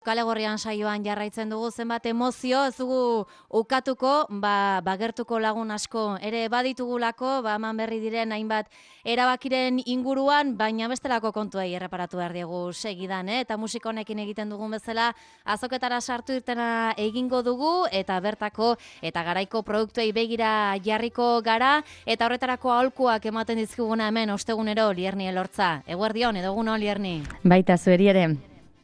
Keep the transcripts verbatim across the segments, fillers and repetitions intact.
Kale Gorrian saioan jarraitzen dugu, zenbat emozio, ez dugu ukatuko, ba, bagertuko lagun asko ere baditugulako, ba, eman berri diren hainbat erabakiren inguruan, baina bestelako kontuei erreparatu behar diegu segidan, eh? Eta musika honekin egiten dugun bezala, azoketara sartu irtena egingo dugu, eta bertako eta garaiko produktuei begira jarriko gara, eta horretarako aholkuak ematen dizkiguna hemen ostegunero Lierni Elortza. Eguerdion, edo egun on, Lierni. Baita zueri ere.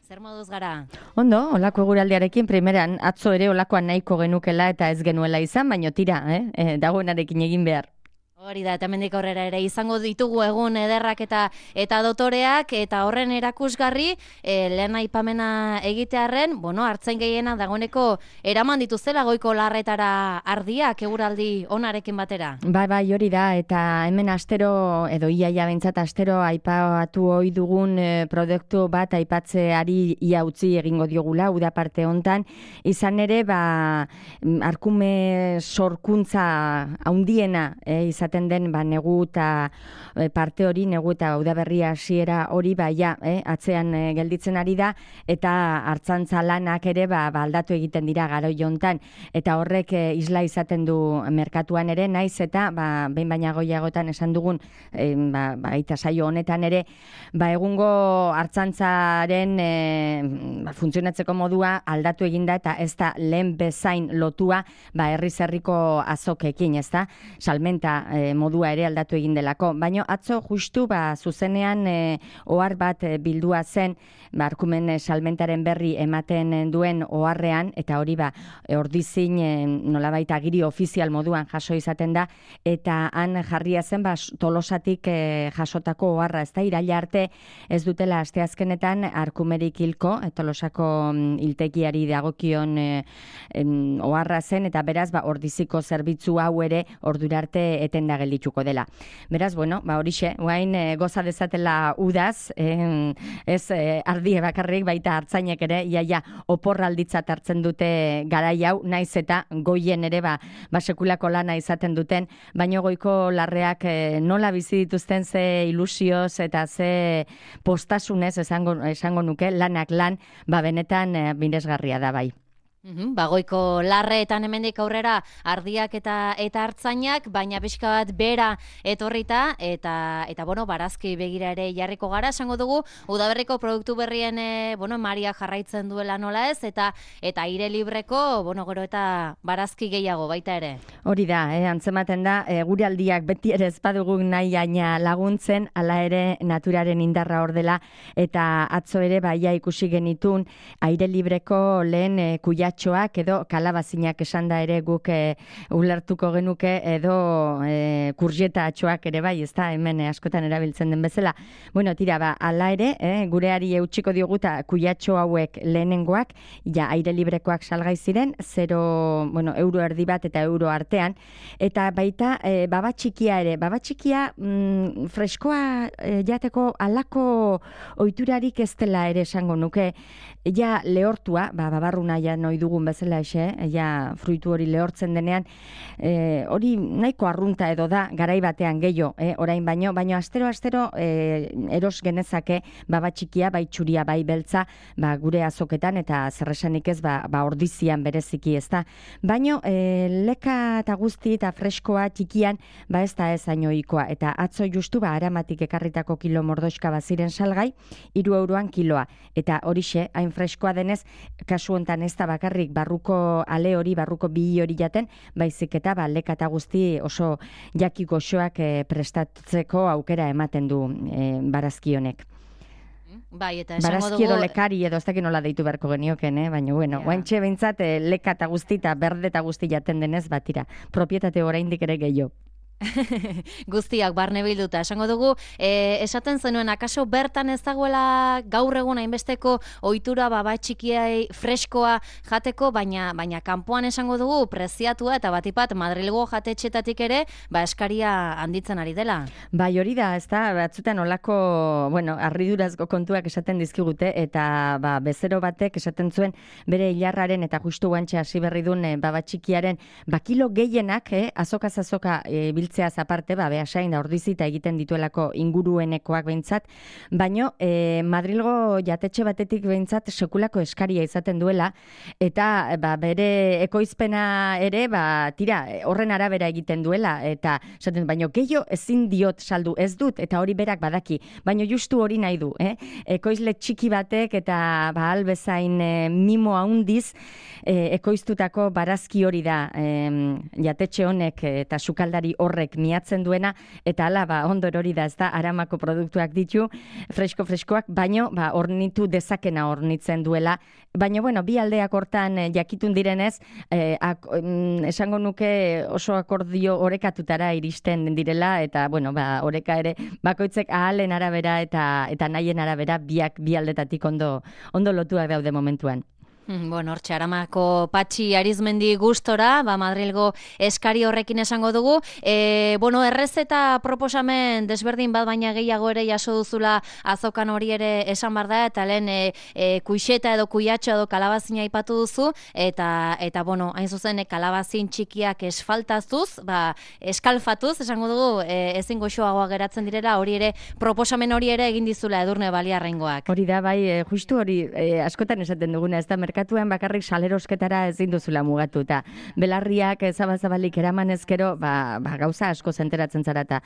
Zer moduz gara? Ondo, olako eguraldiarekin primeran atzo ere olakoan nahiko genukela eta ez genuela izan, baino tira, eh? E, dagoenarekin egin behar. Hori da, eta hemendik aurrera ere izango ditugu egun ederrak eta eta dotoreak, eta horren erakusgarri, e, lehen aipamena egitearren, bueno, hartzen gehiena dagoeneko eraman dituzela goiko larretara ardiak eguraldi onarekin batera. Bai, bai, hori da, eta hemen astero, edo iaia bentsat astero aipatu ohi dugun e, produktu bat aipatzeari ia utzi egingo diogula, uda parte hontan, izan ere, ba, arkume sorkuntza haundiena, e, izan den ba, negu eta e, parte hori, negu eta udaberria hasiera hori ba, ja, eh, atzean e, gelditzen ari da, eta hartzantza lanak ere ba, ba, aldatu egiten dira garoi hontan, eta horrek e, isla izaten du merkatuan ere, naiz eta ba, behin baina goiagotan esan dugun e, ba, ba, eta saio honetan ere, ba, egungo hartzantzaren e, ba, funtzionatzeko modua aldatu eginda, eta ez da lehen bezain lotua ba, herriz herriko azokekin, ez da, salmenta E, modua ere aldatu egin delako. Baina atzo justu ba, zuzenean e, ohar bat e, bildua zen ba, arkumen e, salmentaren berri ematen duen oharrean, eta hori ba, e, ordizin e, nolabait agiri ofizial moduan jaso izaten da, eta han jarria zen ba, Tolosatik e, jasotako oharra, ez da, iraila arte ez dutela asteazkenetan arkumerik hilko, e, Tolosako hiltegiari dagokion e, em, oharra zen, eta beraz ba, ordiziko zerbitzu hau ere ordurarte eten da geldituko dela. Beraz, bueno, ba horixe, guain e, goza dezatela udaz, e, ez e, ardie bakarrik, baita hartzainek ere, iaia oporralditzat hartzen dute garai hau, naiz eta goien ere ba, ba sekulako lana izaten duten, baino goiko larreak e, nola bizi dituzten ze ilusioz eta ze postasunez esango, esango nuke, lanak lan, ba benetan e, miresgarria da bai. Uhum, bagoiko larreetan hemendik aurrera ardiak eta eta hartzainak, baina pixka bat bera etorrita, eta eta bueno, barazki begira ere jarriko gara, esango dugu, udaberriko produktu berrien e, bueno, Maria jarraitzen duela nola ez, eta eta aire libreko, bueno, gero eta barazki gehiago baita ere. Hori da, eh, antzematen da, e, gure aldiak beti ere ez badugu nahi aina laguntzen, hala ere naturaren indarra hor dela, eta atzo ere baia ikusi genitun aire libreko lehen e, kuia edo kalabazinak esan da ere guk e, ulertuko genuke edo e, kurjeta atxoak ere bai, ez da, hemen e, askotan erabiltzen den bezala. Bueno, tira, ba, ala ere, e, gureari eutxiko dioguta kuiatxo hauek lehenengoak, ja, aire librekoak salgai ziren, zero, bueno, euro erdi bat eta euro artean, eta baita e, baba txikia ere, baba txikia mm, freskoa e, jateko alako ohiturarik ez dela ere esango nuke, ja lehortua, ba, babarruna ja noi dugun bezala ese, ja fruitu hori lehortzen denean, e, hori nahiko arrunta edo da, garai batean gehiago, e, orain baino, baino astero-astero e, eros genezake baba txikia, bai txuria, bai beltza, ba, gure azoketan, eta zerresanik ez, ba, ba ordizian bereziki ez da. Baino, e, leka eta guzti eta freskoa txikian, ba ez da ez ainoikoa, eta atzo justu, ba, aramatik ekarritako kilo mordoxka baziren salgai, hiru euroan kiloa, eta horixe, hain freskoa denez, kasu hontan ez da bakarrik barruko ale hori, barruko bi hori jaten, baizik eta ba, leka eta guzti oso jaki goxoak e, prestatzeko aukera ematen du e, barazki honek. Bai, eta esango barazki dugu... edo lekari edo ez dakit nola deitu beharko genioken, eh? Baina, bueno, Ja. guaintxe behintzat e, leka eta guzti eta berde eta guzti jaten denez, batira, propietate oraindik ere gehiago. Guztiak barne bilduta. Esango dugu, e, esaten zenuen, akaso bertan ez dagoela gaur egun hainbesteko ohitura baba txikiai freskoa jateko, baina baina kanpoan esango dugu preziatua eta batipat Madrilgo jatetxetatik ere, ba eskaria handitzen ari dela. Bai, hori da, ez da, batzutan olako, bueno, harridurazko kontuak esaten dizkigute, eta ba, bezero batek esaten zuen bere hilarraren eta justu guantxe hasi berri duen e, baba txikiaren, ba kilo gehienak, eh, azokaz azoka e, biltzeaz aparte, ba, behasain da ordizita egiten dituelako inguruenekoak behintzat, baino e, Madrilgo jatetxe batetik behintzat sekulako eskaria izaten duela, eta ba, bere ekoizpena ere, ba, tira, horren arabera egiten duela, eta esaten, baino gehiago ezin diot saldu, ez dut, eta hori berak badaki, baino justu hori nahi du, eh? Ekoizle txiki batek eta ba, albezain e, mimo handiz e, ekoiztutako barazki hori da e, jatetxe honek eta sukaldari horrek miatzen duena, eta hala ba, ondor hori da, ez da, aramako produktuak ditu, fresko-freskoak, baino ba, ornitu dezakena ornitzen duela, baina bueno, bi aldeak hortan e, jakitun direnez, e, ak, mm, esango nuke oso akordio orekatutara iristen direla, eta bueno, ba, oreka ere bakoitzek ahalen arabera eta eta nahien arabera biak bi aldetatik ondo ondo lotuak daude momentuan. Bueno, hortxe, Aramako Patxi Arizmendi gustora, ba, Madrilgo eskari horrekin esango dugu. E, bueno, errezeta proposamen desberdin bat, baina gehiago ere jaso duzula azokan hori ere esan bar da, eta lehen e, e, kuixeta edo kuiatxo edo kalabazina aipatu duzu, eta, eta bueno, hain zuzen, e, kalabazin txikiak esfaltazuz, ba, eskalfatuz, esango dugu, e, ezin goxoagoa geratzen direla, hori ere, proposamen hori ere egin dizula Edurne Baliarraingoak. Hori da, bai, e, justu hori, e, askotan esaten duguna, ez da, merkatuan bakarrik salerosketara ezin duzula mugatu, eta belarriak zabazabalik eraman ezkero, ba, ba, gauza asko zenteratzen zara, eta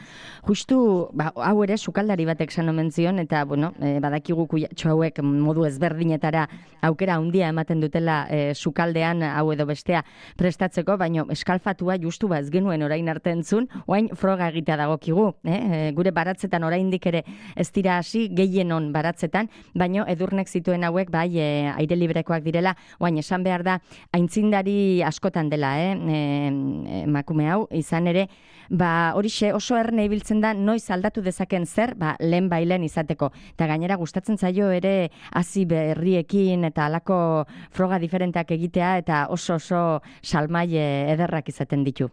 justu, ba, hau ere sukaldari batek san omen zion, eta, bueno, e, badakigu kuiatxo hauek modu ezberdinetara aukera handia ematen dutela e, sukaldean hau edo bestea prestatzeko, baino eskalfatua justu ba ez genuen orain arte entzun, orain froga egitea dagokigu, eh? E, gure baratzetan oraindik ere ez dira hasi gehienon baratzetan, baino Edurnek zituen hauek bai e, aire librekoak direla, oain esan behar da, aintzindari askotan dela, eh? E, emakume hau, izan ere, ba, horixe oso erne ibiltzen da, noiz aldatu dezaken zer, ba, lehen bailen izateko. Eta gainera gustatzen zaio ere hazi berriekin eta halako froga diferenteak egitea, eta oso oso salmaile ederrak izaten ditu.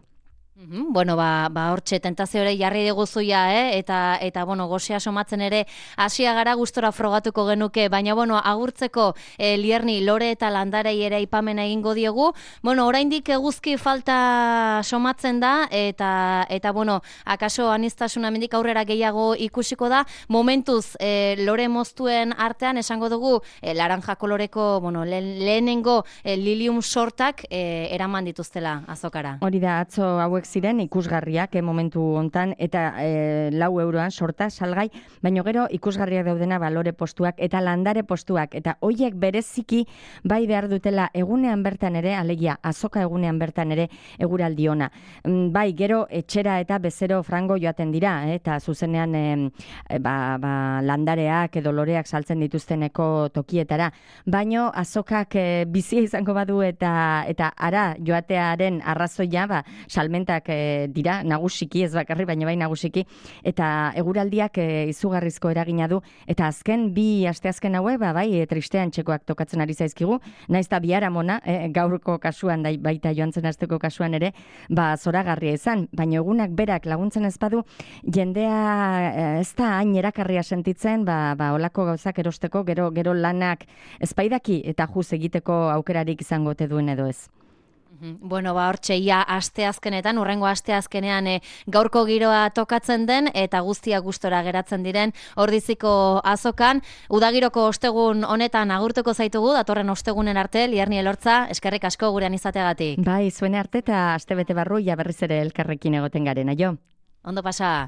Bueno, ba, ba hortxe tentazio ere jarri diguzuia, eh? eta, eta bueno, gozea somatzen ere hasia gara gustora frogatuko genuke, baina bueno, agurtzeko eh, Lierni, Lore eta Landarei ere aipamen egingo diegu. Bueno, oraindik eguzki falta somatzen da, eta, eta bueno, akaso aniztasuna mendik aurrera gehiago ikusiko da, momentuz eh, Lore moztuen artean esango dugu eh, laranja koloreko, bueno, le, lehenengo eh, lilium sortak eh, eraman dituztela azokara. Hori da, atzo hauek ziren ikusgarriak eh, momentu hontan, eta eh, lau euroan sorta salgai, baino gero ikusgarriak daudena balore postuak eta landare postuak, eta hoiek bereziki bai behar dutela egunean bertan ere, alegia azoka egunean bertan ere eguraldi ona. Mm, bai, gero etxera eta bezero frango joaten dira, eh, eta zuzenean eh, ba, ba, landareak edo loreak saltzen dituzteneko tokietara, baino azokak eh, bizia izango badu eta eta ara joatearen arrazoia, ba, salmentak e, dira, nagusiki, ez bakarri, baina bai nagusiki, eta eguraldiak e, izugarrizko eragina du, eta azken bi asteazken haue, ba, bai, e, tristean txekoak tokatzen ari zaizkigu, naiz eta biharamona, e, gaurko kasuan, da, baita joan zen asteko kasuan ere, ba, zoragarria izan, baina egunak berak laguntzen ez badu, jendea e, ez da hain erakarria sentitzen, ba, ba, olako gauzak erosteko, gero, gero lanak ezpaidaki, eta juz egiteko aukerarik izango te duen edo ez. Bueno, ba, hortxe, ia asteazkenetan, urrengo asteazkenean e, gaurko giroa tokatzen den, eta guztia gustora geratzen diren Ordiziko azokan. Udagiroko ostegun honetan agurtuko zaitugu, datorren ostegunen arte, Lierni Elortza, eskerrik asko gurean izateagatik. Bai, zuen arte eta astebete barru, ja berriz ere elkarrekin egoten garen, aio. Ondo pasa.